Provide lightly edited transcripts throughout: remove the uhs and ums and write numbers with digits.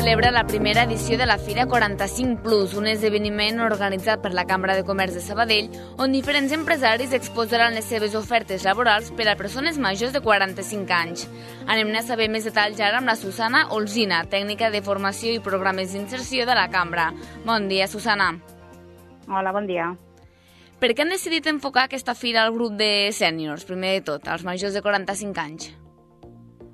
celebra la primera edició de la Fira 45+, un esdeveniment organitzat per la Cambra de Comerç de Sabadell, on diferents empresaris exposaran les seves ofertes laborals per a persones majors de 45 anys. Anem a saber més detalls ara amb la Susana Olzina, tècnica de formació i programes d'inserció de la Cambra. Bon dia, Susana. Hola, bon dia. Per què han decidit enfocar aquesta fira al grup de sèniors, primer de tot, als majors de 45 anys?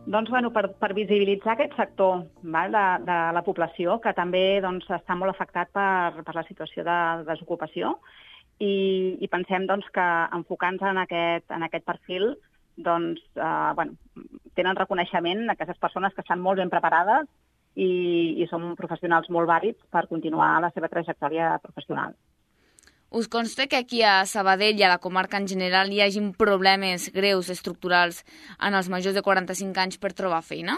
Doncs, per visibilitzar aquest sector de la població, que també està molt afectat per la situació de desocupació, i pensem que enfocant-se en aquest perfil tenen reconeixement aquestes persones que estan molt ben preparades i són professionals molt vàlids per continuar la seva trajectòria professional. Us consta que aquí a Sabadell i a la comarca en general hi hagin problemes greus estructurals en els majors de 45 anys per trobar feina?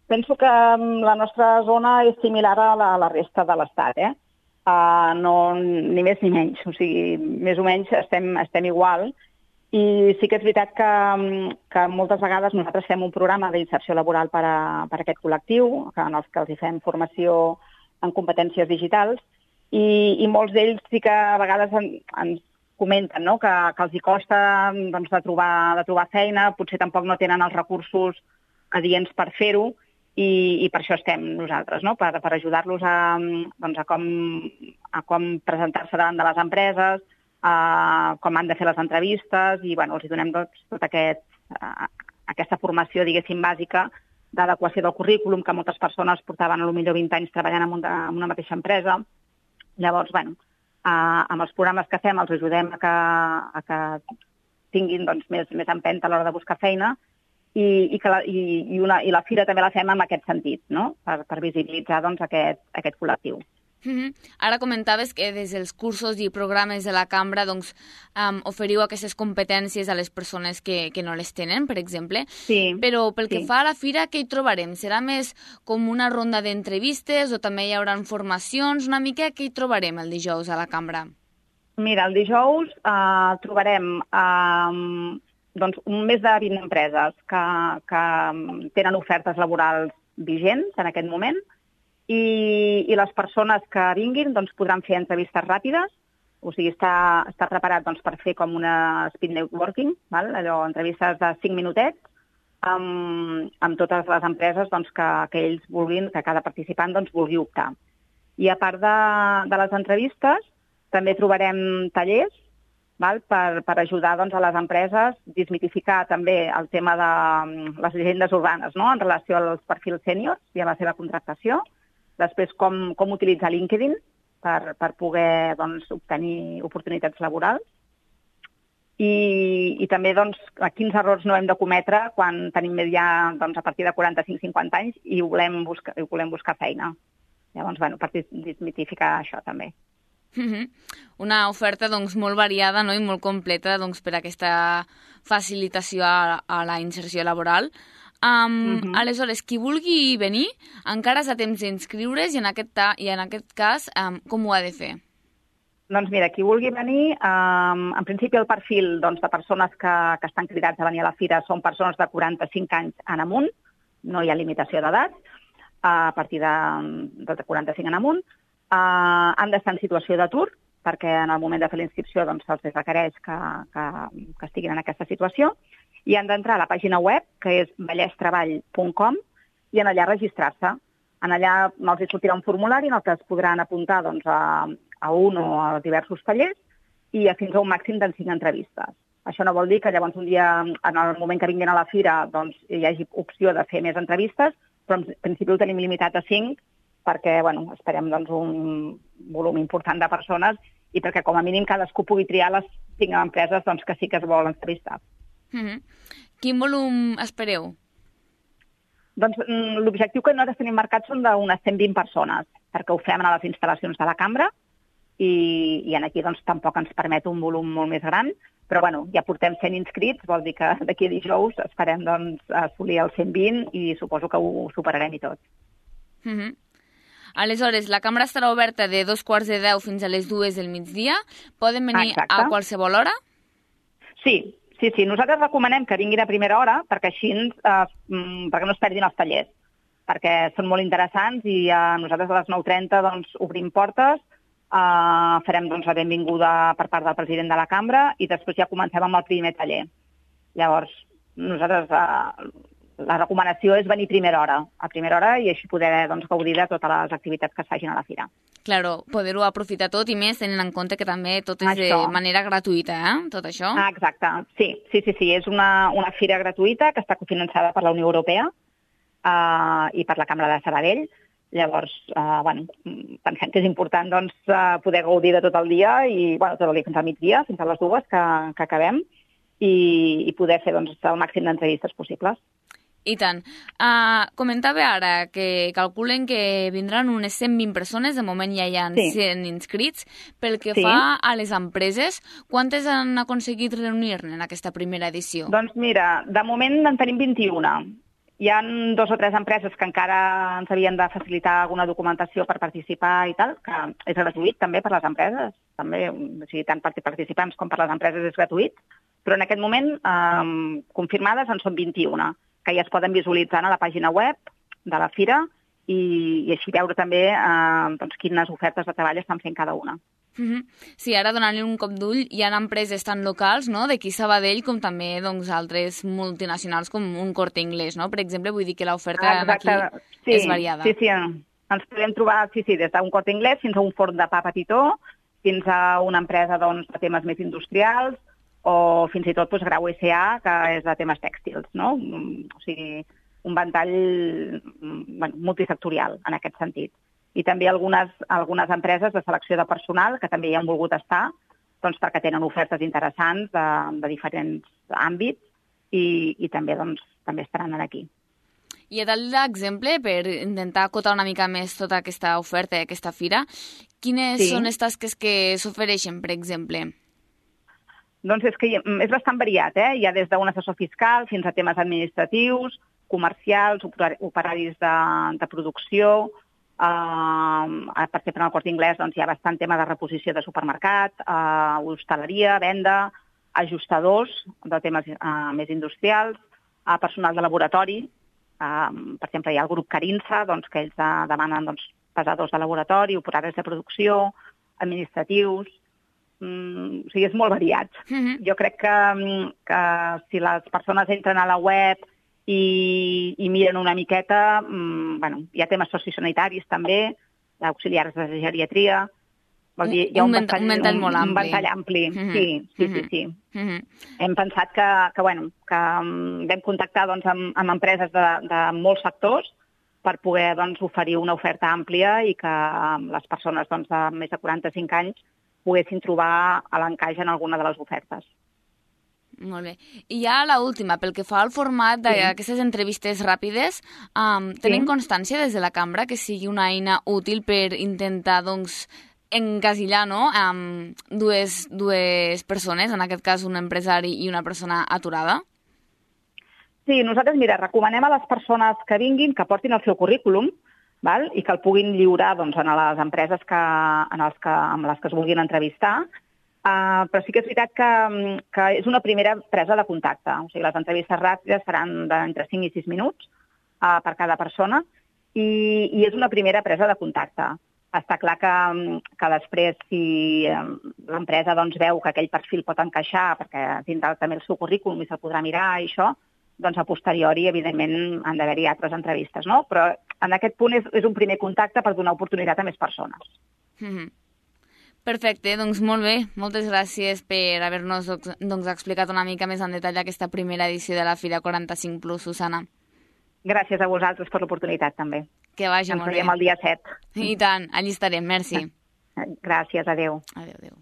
Penso que la nostra zona és similar a la resta de l'Estat, no, ni més ni menys. O sigui, més o menys estem igual. I sí que és veritat que moltes vegades nosaltres fem un programa d'inserció laboral per a aquest col·lectiu, en els que els fem formació en competències digitals, i molts d'ells sí que a vegades ens comenten que els costa de trobar feina, potser tampoc no tenen els recursos adients per fer-ho, i per això estem nosaltres, per ajudar-los a com presentar-se davant de les empreses, com han de fer les entrevistes, i els donem tota aquesta formació, diguéssim, bàsica d'adequació del currículum, que moltes persones portaven potser 20 anys treballant en una mateixa empresa. Llavors, amb els programes que fem els ajudem a que tinguin més empenta a l'hora de buscar feina, i la fira també la fem en aquest sentit, per visibilitzar aquest col·lectiu. Ara comentaves que des dels cursos i programes de la Cambra oferiu aquestes competències a les persones que no les tenen, per exemple. Sí. Però pel que fa a la fira, què hi trobarem? Serà més com una ronda d'entrevistes o també hi haurà formacions? Una mica què hi trobarem el dijous a la Cambra? Mira, el dijous trobarem més de 20 empreses que tenen ofertes laborals vigents en aquest moment, i les persones que vinguin podran fer entrevistes ràpides, o sigui, està preparat per fer com una speed networking, allò, entrevistes de 5 minutets, amb totes les empreses que ells vulguin, que cada participant vulgui optar. I a part de les entrevistes, també trobarem tallers per ajudar a les empreses, desmitificar també el tema de les llegendes urbanes en relació als perfils sèniors i a la seva contractació. Després, com utilitzar LinkedIn per poder obtenir oportunitats laborals. I també quins errors no hem de cometre quan tenim ja a partir de 45-50 anys i volem buscar feina. Llavors, per desmitificar això també. Una oferta molt variada i molt completa per a aquesta facilitació a la inserció laboral. Aleshores, qui vulgui venir encara és a temps d'inscriure's i en aquest cas com ho ha de fer? Doncs mira, qui vulgui venir, en principi el perfil de persones que estan cridats a venir a la fira són persones de 45 anys en amunt, no hi ha limitació d'edat, a partir de 45 en amunt, han d'estar en situació d'atur, perquè en el moment de fer la inscripció se'ls requereix que estiguin en aquesta situació, i han d'entrar a la pàgina web, que és vallestreball.com, i en allà registrar-se. En allà els sortirà un formulari en el que es podran apuntar a un o a diversos tallers i fins a un màxim de 5 entrevistes. Això no vol dir que llavors un dia, en el moment que vinguin a la fira, hi hagi opció de fer més entrevistes, però en principi ho tenim limitat a 5, perquè esperem un volum important de persones i perquè com a mínim cadascú pugui triar les 5 empreses que sí que es volen entrevistar. Quin volum espereu? L'objectiu que nosaltres tenim marcat són d'unes 120 persones, perquè ho fem a les instal·lacions de la Cambra i aquí tampoc ens permet un volum molt més gran, però ja portem 100 inscrits, vol dir que d'aquí a dijous esperem assolir els 120 i suposo que ho superarem i tot. Aleshores, la Cambra estarà oberta de 2:15 fins a les 2 del migdia. Poden venir a qualsevol hora? Sí. Nosaltres recomanem que vinguin a primera hora perquè així perquè no es perdin els tallers. perquè són molt interessants i nosaltres a les 9:30 doncs, obrim portes, farem doncs, la benvinguda per part del president de la cambra i després ja comencem amb el primer taller. Llavors, nosaltres la recomanació és venir a primera hora i així poder doncs, gaudir de totes les activitats que es facin a la fira. Claro, poder-ho aprofitar tot i més tenint en compte que també tot és de manera gratuïta, tot això? Exacte, sí. És una fira gratuïta que està cofinançada per la Unió Europea i per la Cambra de Sabadell. Llavors, pensem que és important doncs, poder gaudir de tot el dia i tot el dia fins al migdia, fins a les 2 que acabem i poder fer doncs, el màxim d'entrevistes possibles. I tant. Comentava ara que calculen que vindran unes 120 persones, de moment ja hi ha 100 inscrits. Pel que fa a les empreses, quantes han aconseguit reunir-ne en aquesta primera edició? Doncs mira, de moment en tenim 21. Hi ha 2 o 3 empreses que encara ens havien de facilitar alguna documentació per participar i tal, que és gratuït també per les empreses, també, o sigui, tant per participants com per les empreses és gratuït, però en aquest moment confirmades en són 21, que ja es poden visualitzar a la pàgina web de la fira i així veure també doncs, quines ofertes de treball estan fent cada una. Sí, ara donant-li un cop d'ull, hi ha empreses tan locals, no?, d'aquí Sabadell, com també doncs, altres multinacionals com un Corte Inglés, no? Per exemple, vull dir que l'oferta aquí és variada. Sí, ens podem trobar des d'un Corte Inglés fins a un forn de pa petitó, fins a una empresa doncs, de temes més industrials, o fins i tot doncs, Grau S.A., que és de temes tèxtils, no? O sigui, un ventall multisectorial en aquest sentit. I també algunes empreses de selecció de personal que també hi han volgut estar doncs, perquè tenen ofertes interessants de diferents àmbits i també, doncs, també estaran aquí. I a tal d'exemple, per intentar acotar una mica més tota aquesta oferta i aquesta fira, quines són les tasques que s'ofereixen, per exemple? Doncs és que és bastant variat, Hi ha des d'un assessor fiscal fins a temes administratius, comercials, operaris de producció. Per exemple, en el Corte Inglés doncs, hi ha bastant tema de reposició de supermercat, hostaleria, venda, ajustadors de temes més industrials, personal de laboratori. Per exemple, hi ha el grup Carinsa, doncs, que ells demanen doncs, pesadors de laboratori, operaris de producció, administratius. O sigui, és molt variat. Jo crec que si les persones entren a la web i miren una miqueta, hi ha temes sociosanitaris també, auxiliars de geriatria. Hi ha un ventall ampli. Sí. Hem pensat que vam contactar doncs, amb empreses de molts sectors per poder doncs, oferir una oferta àmplia i que les persones doncs, de més de 45 anys poguessin trobar a l'encaix en alguna de les ofertes. Molt bé. I ja l'última, pel que fa al format d'aquestes entrevistes ràpides, tenim constància des de la cambra que sigui una eina útil per intentar doncs, encasillar dues persones, en aquest cas un empresari i una persona aturada? Sí, nosaltres, recomanem a les persones que vinguin que portin el seu currículum, i que el puguin lliurar doncs, a les empreses amb les que es vulguin entrevistar, però sí que és veritat que és una primera presa de contacte. O sigui, les entrevistes ràpides seran d'entre 5 i 6 minuts per cada persona i és una primera presa de contacte. Està clar que després, si l'empresa doncs, veu que aquell perfil pot encaixar, perquè tindrà també el seu currículum i se'l podrà mirar i això, doncs a posteriori, evidentment, han d'haver-hi altres entrevistes, no? Però en aquest punt és un primer contacte per donar oportunitat a més persones. Perfecte, doncs molt bé. Moltes gràcies per haver-nos explicat una mica més en detall aquesta primera edició de la Fira 45+, Susana. Gràcies a vosaltres per l'oportunitat, també. Que vagi molt bé. Ens veiem el dia 7. I tant, allí estarem, merci. Gràcies, adeu. Adeu.